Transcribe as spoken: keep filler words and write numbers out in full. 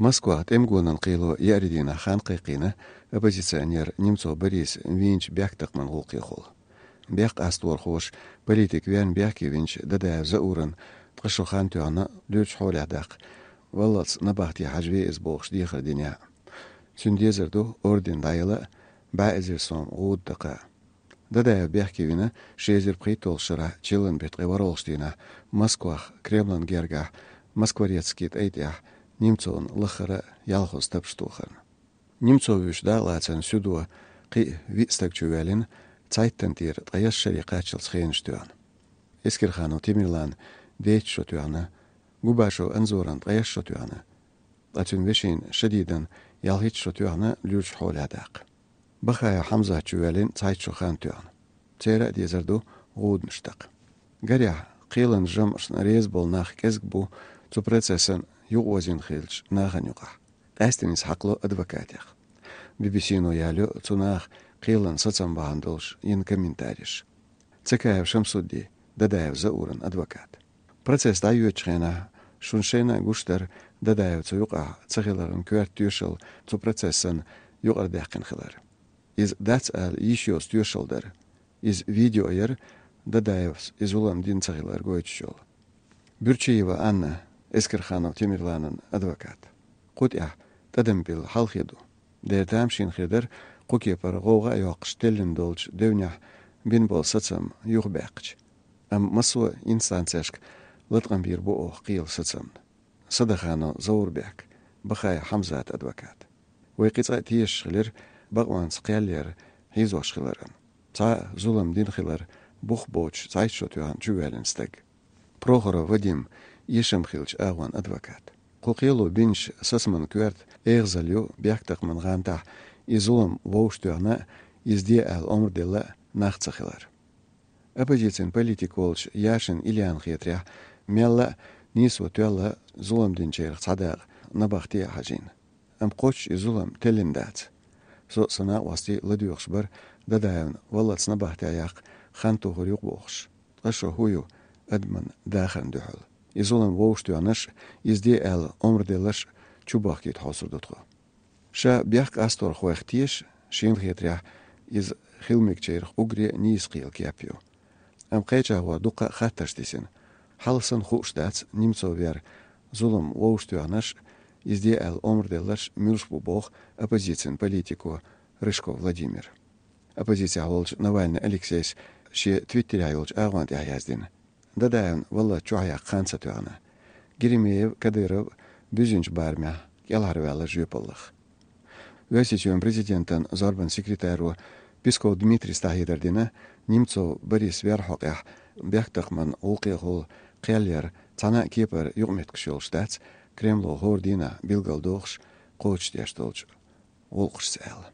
Москвахь тӀемгонан кхело еарин дийнахь хан кхайкхийна оппозиционер Немцов Борис вийначу бехктакхаман гӀуллакхехула. Бехкъасторхоша политик вен бехке винчу Дадаев Заурана ткъа шо хан тоьхна луьрачу хьолехь даккха, валлалц набахте хьажа ве иза бохуш дехар динехь. Цуьнан дезар ду орден дӀаяла а, бӀе эзар сом гӀуда дакха а. Дадаев бехке вина ши эзар пхийтталгӀачу шарахь чиллан беттан ткъе ворхӀалгӀачу дийнахь Москвахь, Кремлан гергахь, Москворецкий тӀай тӀехь Немцовна лаххара а ялхазза тапаш тохарна. Немцов вуьйш дакъалацарна суьдо кхин а виъ стаг чувоьллина, цхьайттан тӀера ткъе ялх шаре кхаччалц хенаш тоьхна. Эскерханов Темирлана дейтта шо тоьхна, Губашев Анзорана ткъе ялх шо тоьхна, ткъа цуьнан вешина Шадидана ялхитта шо тоьхна луьрачу хьолехь даккха. Бахаев Хьамзат чувоьллина цхьайтта шо хан тоьхна. Церан а дезар ду гӀуданаш даккха. Гарехь, кхелан жамӀашна реза болу нах кӀезиг бу цу процессан юкъаозийна хиллачу нахана юкъахь. Къаьсттина иза хьакхало адвокатех. Би-би-си-но ялайо цу наха кхелан сацам бахьана долуш йина комментареш. Цакаев Шамсудди, Дадаев Зауран адвокат. Процесс дӀайоьдучу хенахь шуна шайна а гуш дара Дадаевца юкъахь ца хиларан коьрта тоьшалла цу процессан юкъарадаьккхина хилар. Иза дац ала йиш йоцу тоьшалла дара. Иза видео яра, Дадаевс и зулам дина ца хилар гойтуш йолу. Буьрчиева Анна, Эскерханов Темирланан адвокат. Кху тӀехь тӀадам билла хьалхе ду. Дера тамашийна хир дара, кху кепара гӀовгӀа а йоккхуш теллина долчу девнехь бина болу сацам юхабаьккхича. Амма массо а инстанцешка латкъам бийр бу оха кхелан сацамна. Садаханов Заурбек, Бахаев Хьамзат адвокат. Вай кхин цкъа а тешаш хилира бакъонца кхел яр хьийзош хиларан. Цхьа а зулам дина хилар бух боцуш цхьайтта шо тоьхна чувоьллина стаг. Прохоров Вадим, эшам хиллачу агӀон адвокат. Кху кхело бинчу сацаман коьрта эгӀазалла ю бехктакхаман гӀантахь и зулам вовшахтоьхна а, иза де аьлла омра делла а нах ца хилар. Оппозицин политик волчу Яшин Ильяна хетарехь, мелла а нийсо тоьлла зулам динчарах цхьа дакъа набахте а хьажийна. Амма кхоччуш и зулам теллина дац. Со а, сан накъостий а ладоьгӀуш бара Дадаевна валлалц набахте яккха хан тухур ю-кх бохуш. Ткъа шо хӀун ю адаман дахарна дуьхьал? И зулам вовшахтоьхнарш а, иза де аьлла омра делларш а чубахкийта хьовсур ду тхо. Ша бехкъасторхойх теша, шена хетарехь, иза хила мегачарах уггаре а нийса кхелан кеп ю. Амма кхечахьа дуккха а хаттарш дисина. Хьалха санна хууш дац Немцов вер зулам вовшахтоьхнарш а, иза де аьлла омра делларш а муьлш бу боху оппозицин политико Рыжков Владимира. Оппозицехь волчу Навальный Алексейс шен Твиттерехь йолчу агӀон тӀехь яздина: Дадаевна валлалц чохь яккха хан ца тоьхна. Геремеев, Кадыров буьззинчу барамехь кӀелхьарваьлла жоьпаллах. Оьрсийчоьнан президентан зорбан секретаро Песков Дмитрийс дӀахьедар дина, Немцов Борис вер хьокъехь бехктакхаман гӀуллакхехула кхел яр цхьана а кепара юкъаметтигаш йолуш дац, Кремло хӀора дийнахь билгалдохуш кхочушдеш долчу гӀуллакхашца аьлла.